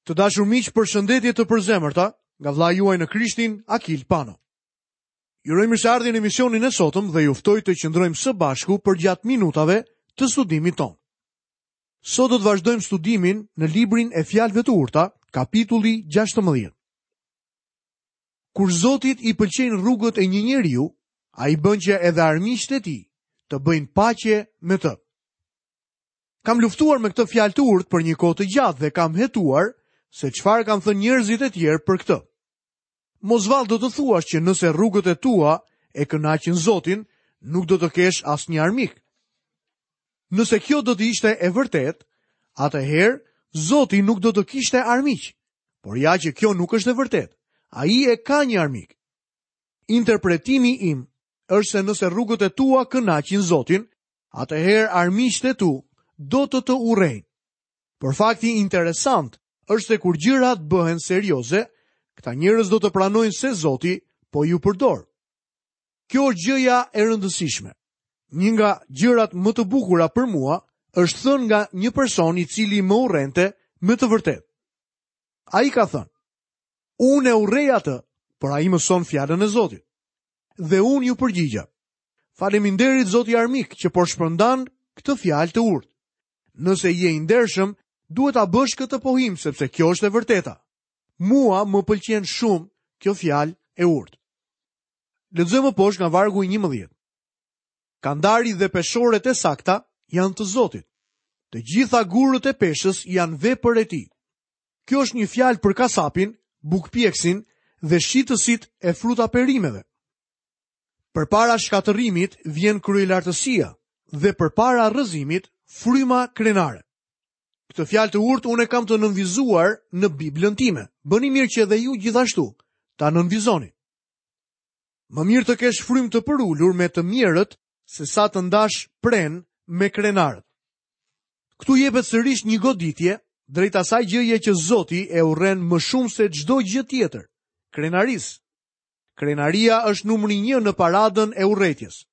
Të dashur miq, përshëndetje të përzemërta nga vëllai juaj në Krishtin, Akil Pano. Ju uroj mirëseardhje në emisionin e sotëm dhe ju ftoj të qëndrojmë së bashku përgjatë minutave të studimit tonë. Sot do të vazhdojmë studimin në librin e Fjalëve të Urta, kapitulli 16. Kur Zotit i pëlqejnë rrugët e një njeriu, ai bën që edhe armiqtë e tij të bëjnë paqe me të. Kam luftuar me këtë fjalë të urtë për një kohë të gjatë dhe kam hetuar se çfarë kanë thënë njerëzit e tjerë për këtë. Mos vallë do të thuash që nëse rrugët e tua e kënaqin Zotin, nuk do të kesh asnjë armik. Nëse kjo do të ishte e vërtetë, atëherë Zoti nuk do të kishte armiq. Por ja që kjo nuk është e vërtetë. Ai e ka një armik. Interpretimi im është se nëse rrugët e tua kënaqin Zotin, atëherë armiqtë e tu do të të urrejnë. Por fakti interesant është se kur gjërat bëhen serioze, këta njerëz do të pranojnë se Zoti po ju përdor. Kjo është gjëja e rëndësishme. Një nga gjërat më të bukura për mua është thënë nga një person i cili më urrente me të vërtetë. Ai ka thënë, unë e urrej atë, por ai mëson fjalën e Zotit. Dhe unë iu përgjigja, Faleminderit zoti armik që po shpërndan këtë fjalë të urtë. Nëse je i ndershëm, duhet ta bësh këtë pohim sepse kjo është e vërteta. Mua më pëlqen shumë kjo fjalë e urtë. Lexojmë më poshtë nga vargu i 11. Kandari dhe peshoret e sakta janë të Zotit. Të gjitha gurët e peshës janë vepër e tij. Kjo është një fjalë për kasapin, bukëpjekësin dhe shitësit e fruta perimeve. Përpara shkatërrimit vjen kryelartësia dhe përpara rrëzimit fryma krenare. Këtë fjalë të urtë unë e kam të nënvizuar në Biblën time. Bëni mirë që edhe ju gjithashtu ta nënvizoni. Më mirë të kesh frymë të përulur me të mjerët sesa të ndash prenë me krenarët. Këtu jepet sërish një goditje drejt asaj gjëje që Zoti e urren më shumë se çdo gjë tjetër, krenarisë. Krenaria është numri 1 në paradën e urrejtjes.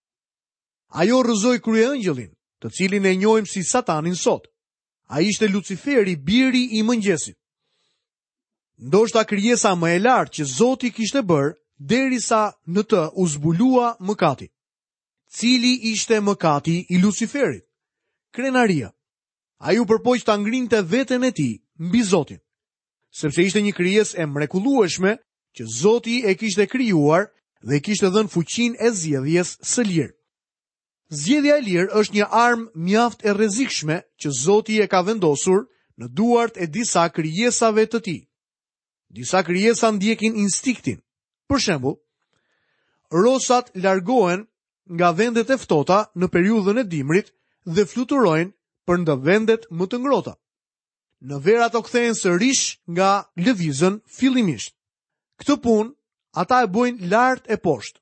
Ajo rrëzoi kryeëngjëllin, të cilin e njohim si Satanin sot. Ai ishte Luciferi, biri i mëngjesit. Ndoshta krijesa më e lartë që Zoti kishte bërë derisa në të u zbulua mëkati. Cili ishte mëkati i Luciferit? Krenaria. Ai u përpoq ta ngrinte veten e tij mbi Zotin, sepse ishte një krijesë e mrekullueshme që Zoti e kishte krijuar dhe i kishte dhënë fuqinë e zgjedhjes së lirë. Zgjedhja e lirë është një armë mjaft e rrezikshme që Zoti e ka vendosur në duart e disa krijesave të tij. Disa krijesa ndjekin instinktin. Për shembull, rosat largohen nga vendet e ftohta në periudhën e dimrit dhe fluturojnë për në vendet më të ngrohta. Në verë ato kthehen sërish nga lëvizën fillimisht. Këtë punë ata e bëjnë lart e poshtë.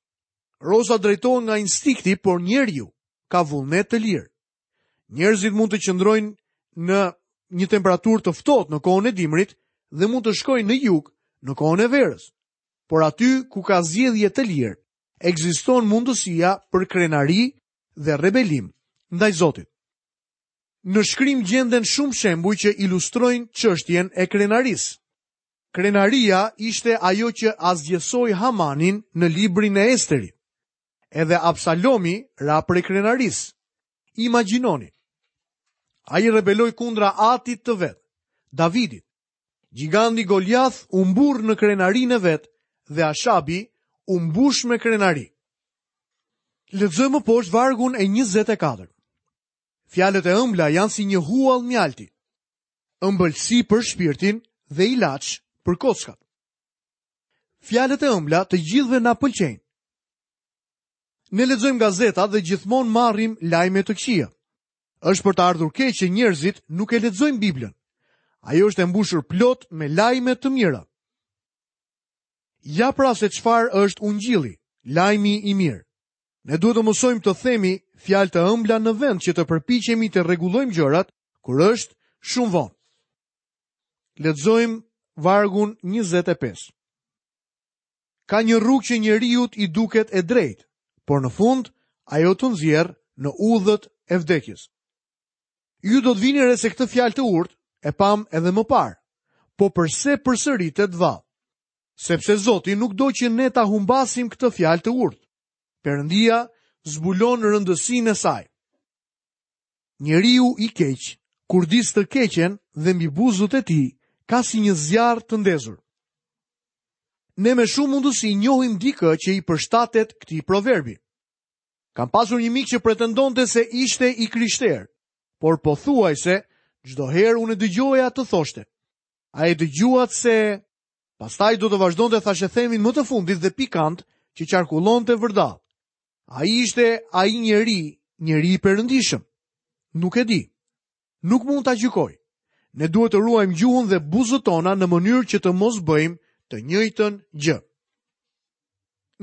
Rosat drejtohen nga instinkti, por njeriu ka vullnet të lirë. Njerëzit mund të qëndrojnë në një temperaturë të ftohtë në kohën e dimrit dhe mund të shkojnë në jug në kohën e verës. Por aty ku ka zgjedhje të lirë, ekziston mundësia për krenari dhe rebelim ndaj Zotit. Në shkrim gjenden shumë shembuj që ilustrojnë çështjen e krenarisë. Krenaria ishte ajo që asgjësoi Hamanin në librin e Esterit. Edhe Absalomi ra prej krenarisë. Imagjinoni. Ai rebeloi kundra atit të vet, Davidit. Gjigandi Goliath u mburr në krenarinë e vet dhe Ashabi u mbush me krenari. Lexojmë më poshtë vargun e 24. Fjalët e ëmbla janë si një huall mjalti. Ëmbëlsi për shpirtin dhe ilaç për kockat. Fjalët e ëmbla të gjithëve na pëlqejnë. Ne lexojmë gazetat dhe gjithmonë marrim lajme të këqija. Është për të ardhur keq që njerëzit nuk e lexojnë Biblën. Ajo është e mbushur plot me lajme të mira. Ja pra se çfarë është ungjilli, lajmi i mirë. Ne duhet të mësojmë të themi fjalë të ëmbla në vend që të përpiqemi të rregullojmë gjërat kur është shumë vonë. Lexojmë vargun 25. Ka një rrugë që njeriut i duket e drejtë, por në fund ajo të nxjerr në udhët e vdekjes. Ju do të vini re se këtë fjalë të urtë e pamë edhe më parë. Po përse përsëritet vallë? Sepse Zoti nuk do që ne ta humbasim këtë fjalë të urtë. Perëndia zbulon rëndësinë e saj. Njeriu i keq kurdis të keqen dhe mbi buzët e tij ka si një zjarr të ndezur. Ne me shumë mundësi njohim dikë që i përshtatet këtij proverbi. Kam pasur një mik që pretendonte se ishte i krishterë, por pothuajse çdo herë unë e dëgjoja të thoshte. A e dëgjuat se pastaj do të vazhdonte thashethemin më të fundit dhe pikant që qarkullonte vërdallë. A ishte ai njeri, njeri i perëndishëm? Nuk e di. Nuk mund ta gjykoj. Ne duhet të ruajmë gjuhën dhe buzët tona në mënyrë që të mos bëjmë të njëjtën gjë.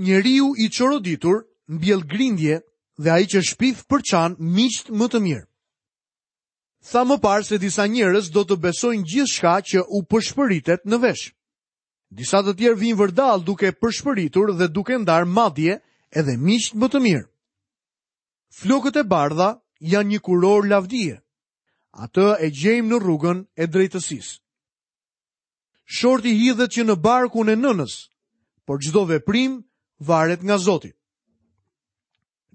Njeriu i çoroditur mbjell grindje dhe ai që shpif përçan miqtë më të mirë. Thamë më parë se disa njerëz do të besojnë gjithçka që u pëshpëritet në vesh. Disa të tjerë vijnë vërdallë duke pëshpëritur dhe duke ndarë madje edhe miqtë më të mirë. Flokët e bardha janë një kurorë lavdie. Atë e gjejmë në rrugën e drejtësisë. Shorti hidhet që në barkun e nënës, por çdo veprim varet nga Zoti.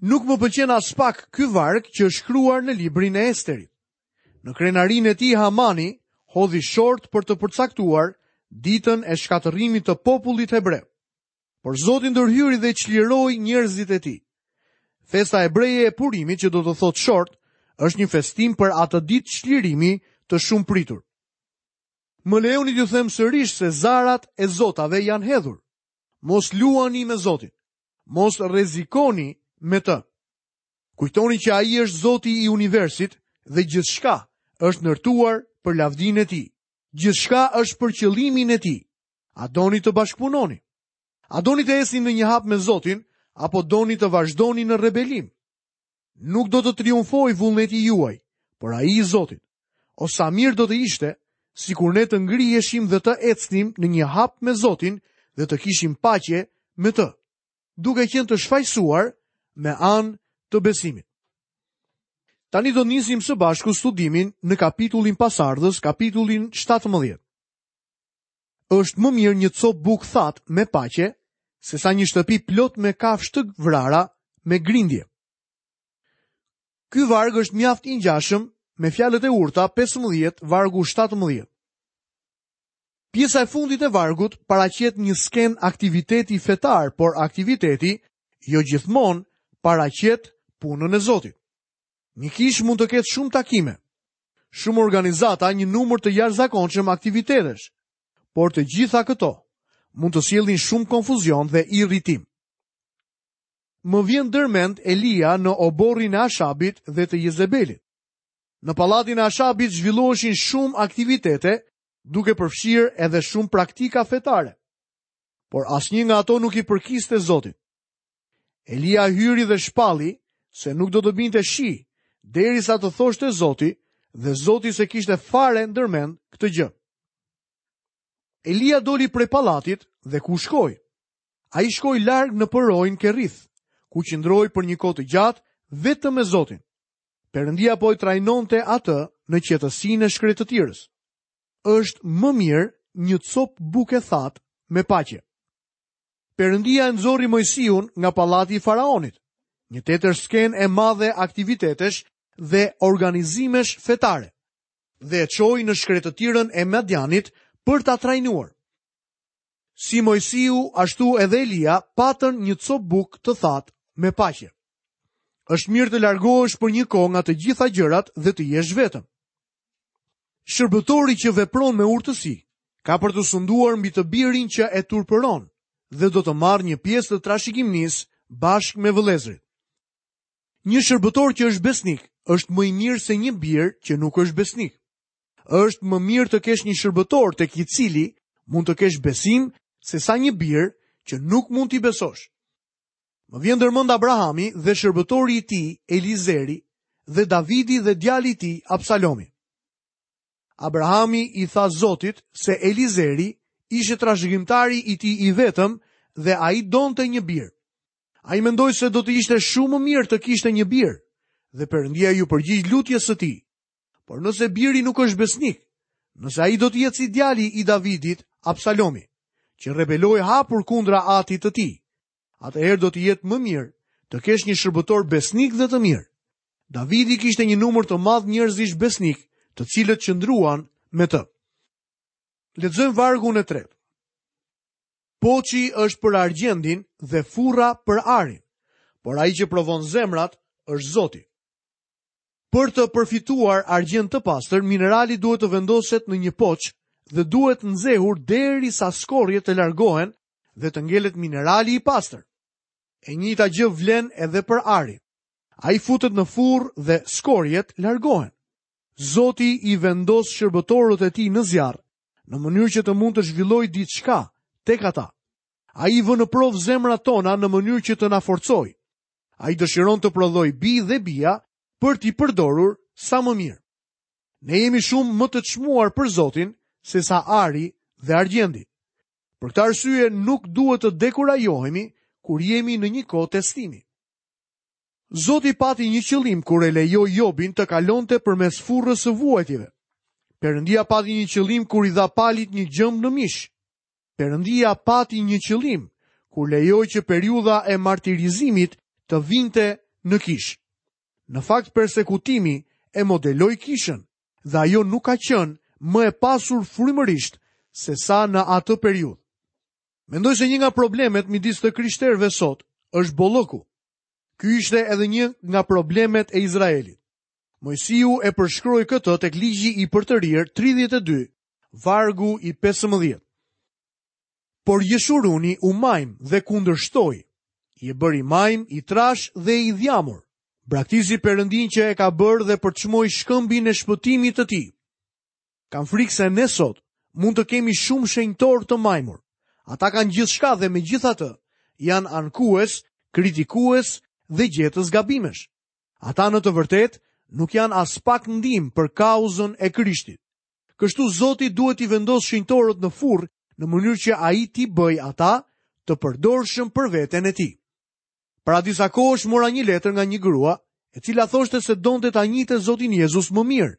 Nuk më pëlqen aspak ky varg që është shkruar në librin e Esterit. Në krenarinë e tij Hamani hodhi short për të përcaktuar ditën e shkatërrimit të popullit hebre. Por Zoti ndërhyri dhe çliroi njerëzit e tij. Festa hebreje e Purimit që do të thotë short, është një festim për atë ditë çlirimi të shumëpritur. Më lejoni t'ju them sërish se zarat e zotave janë hedhur. Mos luani me Zotin. Mos rrezikoni me të. Kujtoni që ai është Zoti i universit dhe gjithçka është ndërtuar për lavdinë e tij. Gjithçka është për qëllimin e tij. A doni të bashkëpunoni? A doni të ecni në një hap me Zotin apo doni të vazhdoni në rebelim? Nuk do të triumfojë vullneti juaj, por ai i Zotit. O sa mirë do të ishte sikur ne të ngriheshim dhe të ecnim në një hap me Zotin dhe të kishim paqe me të, duke qenë të shfajësuar me anë të besimit. Tani do nisim së bashku studimin në kapitullin pasardhës, kapitullin 17. Është më mirë një copë bukë thatë me paqe, sesa një shtëpi plot me kafshë të vrara me grindje. Ky varg është mjaft i ngjashëm me fjalët e urta 15 vargu 17. Pjesa e fundit e vargut paraqet një skenë aktiviteti fetar, por aktiviteti jo gjithmonë paraqet punën e Zotit. Një kishë mund të ketë shumë takime, shumë organizata, një numër të jashtëzakonshëm aktivitetesh, por të gjitha këto mund të sjellin shumë konfuzion dhe irritim. Më vjen ndërmend Elia në oborrin e Ashabit dhe të Jezebelit. Në pallatin e Ashabit zhvilloheshin shumë aktivitete, duke përfshirë edhe shumë praktika fetare. Por asnjë nga ato nuk i përkiste Zotit. Elia hyri dhe shpalli se nuk do të binte shi, derisa të thoshte Zoti, dhe Zoti s'e kishte fare ndërmend këtë gjë. Elia doli prej pallatit dhe ku shkoi? Ai shkoi larg në përroin Kerith, ku qëndroi për një kohë të gjatë vetëm me Zotin. Perëndia po e trajnonte atë në qetësinë e shkretëtirës. Është më mirë një copë bukë e thatë me paqe. Perëndia e nxori Moisiun nga pallati i faraonit, një tjetër skenë e madhe aktivitetesh dhe organizimesh fetare, dhe e çoi në shkretëtirën e Madianit për ta trajnuar. Si Moisiu, ashtu edhe Elia patën një copë bukë të thatë me paqe. Është mirë të largohesh për një kohë nga të gjitha gjërat dhe të jesh vetëm. Shërbëtori që vepron me urtësi, ka për të sunduar mbi të birin që e turpëron dhe do të marrë një pjesë të trashëgimisë bashkë me vëllezërit. Një shërbëtor që është besnik është më i mirë se një bir që nuk është besnik. Është më mirë të kesh një shërbëtor tek i cili mund të kesh besim sesa një bir që nuk mund t'i besosh. Më vjen ndërmend Abrahami dhe shërbëtori i tij Elizeri dhe Davidi dhe djali i tij Absalomi. Abrahami i tha Zotit se Elizeri ishte trashëgimtari i tij i vetëm dhe ai donte një bir. Ai mendoi se do të ishte shumë më mirë të kishte një bir dhe Perëndia iu përgjigj lutjes së tij. Por nëse biri nuk është besnik, Nëse ai do të jetë si djali i Davidit, Absalomi, që rebeloi hapur kundra atit të tij, atëherë do të jetë më mirë të kesh një shërbëtor besnik dhe të mirë. Davidi kishte një numër të madh njerëzish besnikë, të cilët qëndruan me të. Lexojmë vargun e tretë. Poçi është për argjendin dhe furra për arin, por ai që provon zemrat është Zoti. Për të përfituar argjend të pastër, minerali duhet të vendoset në një poç dhe duhet nxehur derisa skorjet të largohen dhe të ngelet minerali i pastër. E njëjta gjë vlen edhe për arin. Ai futet në furrë dhe skorjet largohen. Zoti i vendos shërbëtorët e tij në zjarr, në mënyrë që të mund të zhvillojë diçka tek ata. Ai i vë në provë zemrat tona në mënyrë që të na forcojë. Ai dëshiron të prodhojë bij dhe bija për t'i përdorur sa më mirë. Ne jemi shumë më të çmuar për Zotin sesa ari dhe argjendi. Për këtë arsye nuk duhet të dekurajohemi kur jemi në një kohë testimi. Zoti pati një qëllim kur e lejoi Jobin të kalonte përmes furrës së vuajtjeve. Perëndia pati një qëllim kur i dha Palit një gjemb në mish. Perëndia pati një qëllim kur lejoi që periudha e martirizimit të vinte në kishë. Në fakt persekutimi e modeloi kishën dhe ajo nuk ka qenë më e pasur frymërisht sesa në atë periudhë. Mendoj se një nga problemet midis të krishterëve sot është bollëku. Ky ishte edhe një nga problemet e Izraelit. Moisiu e përshkroi këtë tek ligji i përtërirë 32, vargu i 15. Por Jeshuruni u majm dhe kundërshtoi. Je bërë i majmë, i trashë dhe i dhjamur. Braktisi Perëndinë që e ka bërë dhe përçmoi shkëmbin e shpëtimit të tij. Kam frikë se ne sot mund të kemi shumë shenjtorë të majmur. Ata kanë gjithçka dhe megjithatë janë ankues, kritikues dhe gjetës gabimesh. Ata në të vërtetë nuk janë aspak ndihmë për kauzën e Krishtit. Kështu Zoti duhet t'i vendosë shenjtorët në furrë në mënyrë që ai t'i bëjë ata të përdorshëm për veten e tij. Para disa kohësh mora një letër nga një grua, e cila thoshte se donte ta njihte Zotin Jezus më mirë,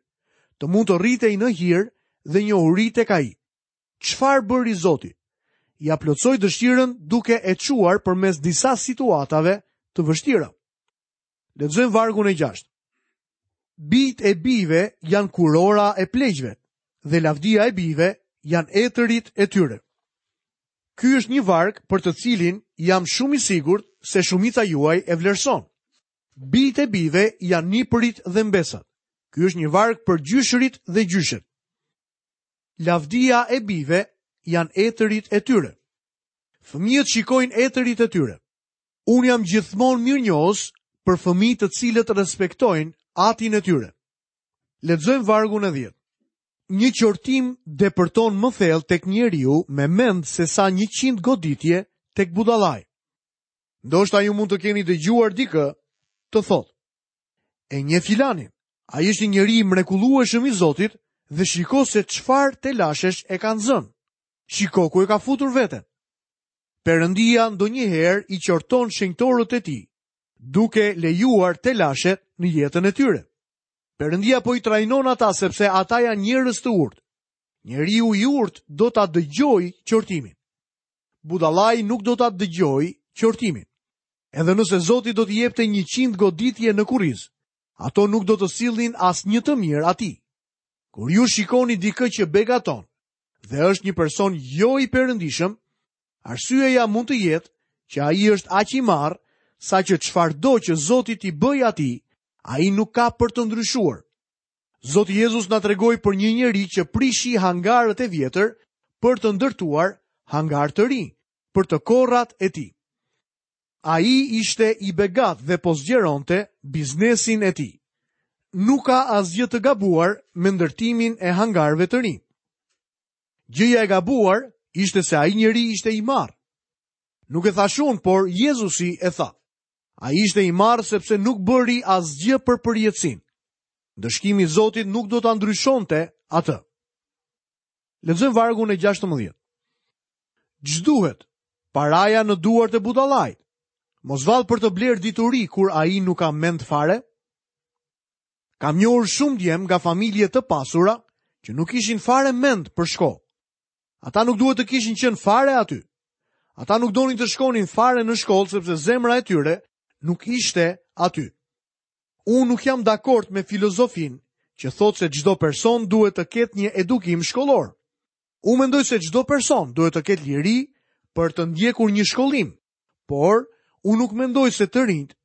të mund të rritej në hir dhe njohuri tek ai. Çfarë bëri Zoti? Ia plotësoi dëshirën duke e çuar përmes disa situatave të vështira. Lexojmë vargun e 6. Bijtë e bijve janë kurora e pleqve dhe lavdia e bijve janë etërit e tyre. Ky është një varg për të cilin jam shumë i sigurt se shumica juaj e vlerëson. Bijtë e bijve janë nipërit dhe mbesat. Ky është një varg për gjyshërit dhe gjyshet. Lavdia e bijve janë etërit e tyre. Fëmijët shikojnë etërit e tyre. Unë jam gjithmonë mirënjohës për fëmijë të cilët respektojnë atin e tyre. Lexojmë vargun e 10. Një qortim depërton më thellë tek njeriu me mend sesa 100 goditje tek budallai. Ndoshta ju mund të keni dëgjuar dikë të thotë: E njeh filanin, ai është një njeri i mrekullueshëm i Zotit dhe shiko se çfarë telashesh e kanë zënë. Shiko ku e ka futur veten. Perëndia ndonjëherë i qorton shenjtorët e tij, duke lejuar telashet në jetën e tyre. Perëndia po i trajnon ata sepse ata janë njerëz të urtë. Njeriu i urtë do ta dëgjojë qortimin. Budallai nuk do ta dëgjojë qortimin. Edhe nëse Zoti do t'i jepte 100 goditje në kurriz, ato nuk do të sillnin asnjë të mirë atij. Kur ju shikoni dikë që begaton dhe është një person jo i perëndishëm, arsyeja mund të jetë që ai është aq i marrë saqë çfarëdo që Zoti t'i bëjë atij, ai nuk ka për të ndryshuar. Zoti Jezus na tregoi për një njeri që prishi hangarët e vjetër për të ndërtuar hangarë të rinj, për të korrat e tij. Ai ishte i begatë dhe po zgjeronte biznesin e tij. Nuk ka asgjë të gabuar me ndërtimin e hangarëve të rinj. Gjëja e gabuar ishte se ai njeri ishte i marrë. Nuk e thashë unë, por Jezusi e tha. Ai ishte i marrë sepse nuk bëri asgjë për përjetësinë. Ndëshkimi i Zotit nuk do ta ndryshonte atë. Lexojmë vargun e 16. Ç'duhet? Paraja në duart e budallait. Mos vallë për të blerë dituri kur ai nuk ka mend fare? Kam njohur shumë djem nga familje të pasura që që nuk kishin fare mend për shkollë. Ata nuk duhet të kishin qenë fare aty. Ata nuk donin të shkonin fare në shkollë sepse zemra e tyre nuk ishte aty. Unë nuk jam dakord me filozofinë që thotë se çdo person duhet të ketë një edukim shkollor. Unë mendoj se çdo person duhet të ketë liri për të ndjekur një shkollim, por unë nuk mendoj se të rinjtë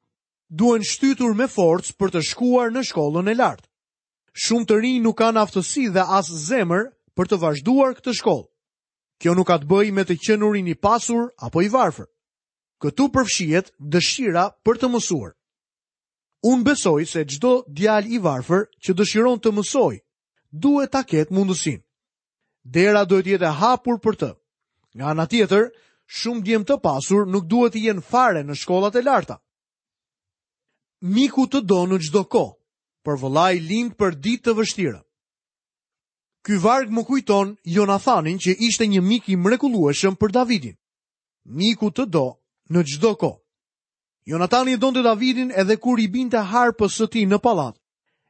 duhen shtytur me forcë për të shkuar në shkollën e lartë. Shumë të rinj nuk kanë aftësi dhe as zemër për të vazhduar këtë shkollë. Kjo nuk ka të bëjë me të qenurin i pasur apo i varfër. Këtu përfshihet dëshira për të mësuar. Unë besoj se çdo djalë i varfër që dëshiron të mësojë, duhet ta ketë mundësinë. Dera duhet të jetë e hapur për të. Nga ana tjetër, shumë djem të pasur nuk duhet të jenë fare në shkollat e larta. Miku të do në çdo kohë, por vëllai lind për ditë të vështira. Ky varg më kujton Jonathanin që ishte një mik i mrekullueshëm për Davidin. Miku të do në çdo kohë. Jonatani e donte Davidin edhe kur i binte harpës së tij në pallat,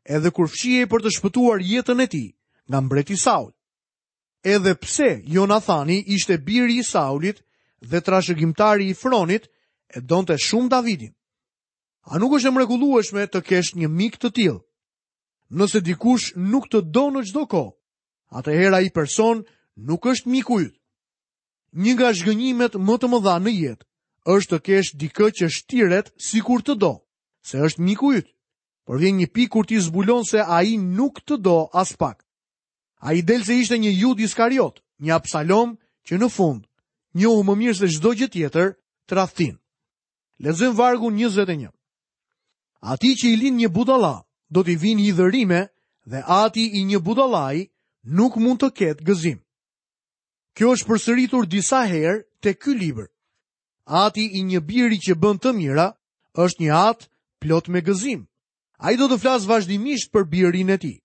edhe kur fshihej për të shpëtuar jetën e tij nga mbreti Saul. Edhe pse Jonathani ishte biri i Saulit dhe trashëgimtari i fronit, e donte shumë Davidin. A nuk është e mrekullueshme të kesh një mik të tillë? Nëse dikush nuk të do në çdo kohë, atëherë ai person nuk është miku yt. Një nga zhgënjimet më të mëdha në jetë është të kesh dikë që shtiret sikur të do, se është miku yt. Por vjen një pikë kur ti zbulon se ai nuk të do aspak. Ai del se ishte një Judë Iskariot, një Absalom që në fund njohu më mirë se çdo gjë tjetër tradhtinë. Lexojmë vargun 21. Atij që i lind një budalla, do t'i vijnë hidhërime dhe ati i një budallai nuk mund të ketë gëzim. Kjo është përsëritur disa herë te ky libër. Ati i një biri që bën të mira është një atë plot me gëzim. Ai do të flasë vazhdimisht për birin e tij.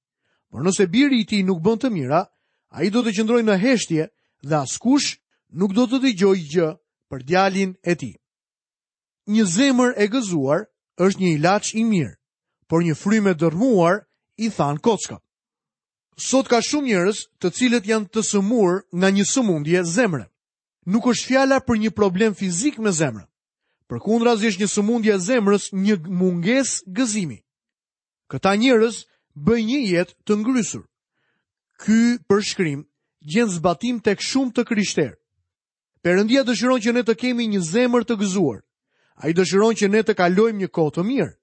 Por nëse biri i tij nuk bën të mira, ai do të qëndrojë në heshtje dhe askush nuk do të dëgjojë gjë për djalin e tij. Një zemër e gëzuar është një ilaç i mirë, por një frymë e dërrmuar i than kockat. Sot ka shumë njerëz të cilët janë të sëmurë nga një sëmundje zemre. Nuk është fjala për një problem fizik me zemrën. Përkundrazi është një sëmundje e zemrës, një mungesë gëzimi. Këta njerëz bëjnë një jetë të ngrysur. Ky përshkrim gjen zbatim tek shumë të krishterë. Perëndia dëshiron që ne të kemi një zemër të gëzuar. Ai dëshiron që ne të kalojmë një kohë të mirë.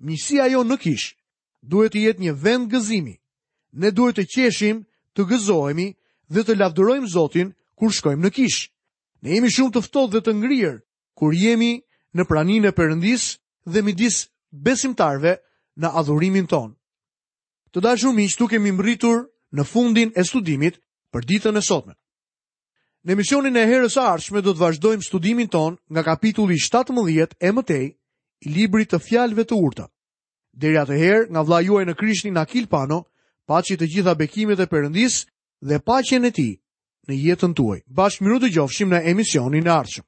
Miqësia jonë në kishë duhet të jetë një vend gëzimi. Ne duhet të qeshim, të gëzohemi dhe të lavdërojmë Zotin kur shkojmë në kishë. Ne jemi shumë të ftohtë dhe të ngrirë kur jemi në praninë e Perëndisë dhe midis besimtarëve në adhurimin tonë. Të dashur miq, këtu kemi mbërritur në fundin e studimit për ditën e sotme. Në emisionin e herës së ardhshme do të vazhdojmë studimin tonë nga kapitulli 17 e më tej i librit të fjalëve të urta. Deri atëherë, nga vëllai juaj në Krishtin Akil Pano, paçi të gjitha bekimet e Perëndisë dhe paqen e tij në jetën tuaj. Bashkë mirudëgjofshim në emisionin e ardhshëm.